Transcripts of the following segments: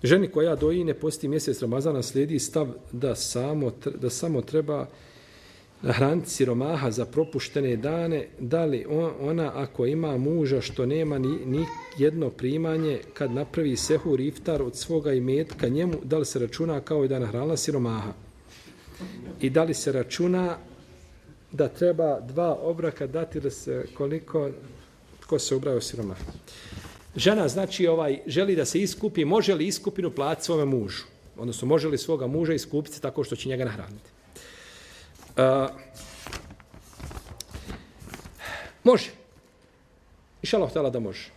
Ženi koja doji ne posti mjesec Ramazana slijedi stav da samo treba nahraniti siromaha za propuštene dane, da li ona ako ima muža što nema ni jedno primanje, kad napravi sehur iftar od svoga imetka njemu, da li se računa kao i da nahranila siromaha? I da li se računa da treba 2 obroka dati da se koliko tko se ubraja u siromaha? Žena znači želi da se iskupi, može li iskupinu platiti svome mužu? Odnosno može li svoga muža iskupiti tako što će njega nahraniti? Može. Inšallah htjela da može.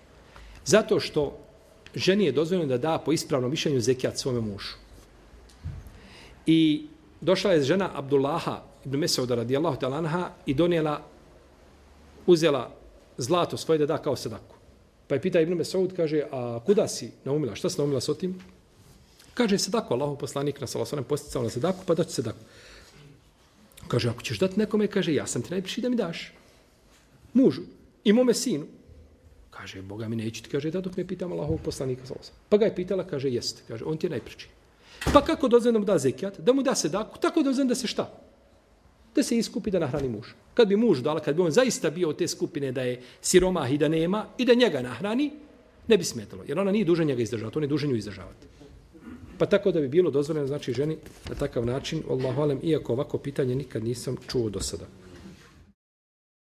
Zato što ženi je dozvoljeno da da po ispravnom mišljenju zekijat svome mužu. I došla je žena Abdullaha ibn Mesauda radijallahu ta'ala anha i uzela zlato svoje da da kao sadaku. Pa je pita Ibn Mesaud, kaže, a kuda si naumila? Šta si naumila s otim? Kaže, sadaku, Allahov poslanik na sallallahu alejhi ve sellem posticao na sadaku, pa daću sadaku. Kaže, ako ćeš dati nekome, kaže, ja sam ti najbliži da mi daš. Mužu i mome sinu. Kaže, Boga mi neću ti, kaže, da dok me pitam Allahovog poslanika sallallahu alejhi ve sellem. Pa ga je pitala, kaže, jeste. Kaže, on ti je najbliži. Pa kako dozvoljeno da mu da zekijat? Da mu da sadaku, tako dozvoljeno da se šta? Da se iskupi da nahrani muž. Kad bi muž dala, kad bi on zaista bio od te skupine da je siromah i da nema i da njega nahrani, ne bi smetalo. Jer ona nije duža njega izdržavati, on je dužan nju izdržavati. Pa tako da bi bilo dozvoljeno, znači ženi na takav način, Allahu alem, iako ovako pitanje nikad nisam čuo do sada.